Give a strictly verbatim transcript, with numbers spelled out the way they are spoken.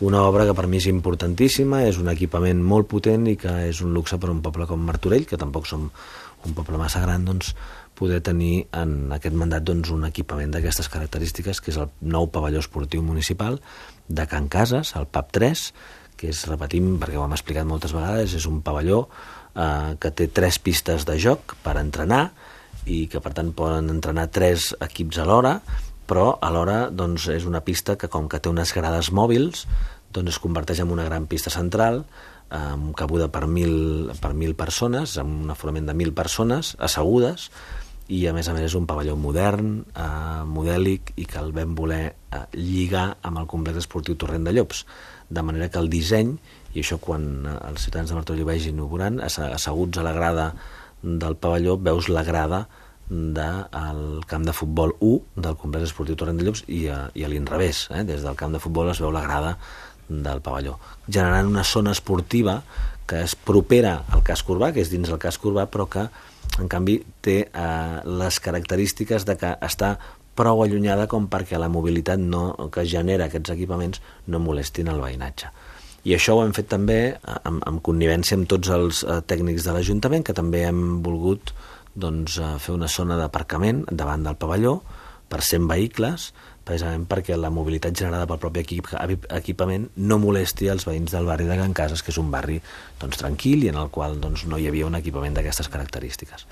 Una obra que per mi és importantíssima, és un equipament molt potent i que és un luxe per a un poble com Martorell, que tampoc som un poble massa gran, doncs, poder tenir en aquest mandat doncs, un equipament d'aquestes característiques, que és el nou pavelló esportiu municipal de Can Cases, el P A P tres, que és, repetim, perquè ho hem explicat moltes vegades, és un pavelló eh, que té tres pistes de joc per entrenar i que, per tant, poden entrenar tres equips alhora, però alhora doncs, és una pista que, com que té unes grades mòbils, doncs es converteix en una gran pista central amb cabuda per mil, per mil persones, amb un aforament de mil persones assegudes, i a més a més és un pavelló modern, eh, modèlic, i que el vam voler eh, lligar amb el complex esportiu Torrent de Llops, de manera que el disseny, i això quan els ciutadans de Martorell ho vegin inaugurant, asseguts a la grada del pavelló veus la grada del camp de futbol u del complex esportiu Torrent de Llops i a, i a l'inrevés, eh? Des del camp de futbol es veu la grada del pavelló, generant una zona esportiva que és propera al casc urbà, que és dins el casc urbà, però que en canvi té eh, les característiques de que està prou allunyada com perquè la mobilitat no, que genera aquests equipaments no molestin el veïnatge. I això ho hem fet també amb, amb connivència amb tots els eh, tècnics de l'Ajuntament, que també hem volgut doncs, fer una zona d'aparcament davant del pavelló per cent vehicles, precisament perquè la mobilitat generada pel propi equip, equipament no molesti els veïns del barri de Can Cases, que és un barri doncs, tranquil i en el qual doncs, no hi havia un equipament d'aquestes característiques.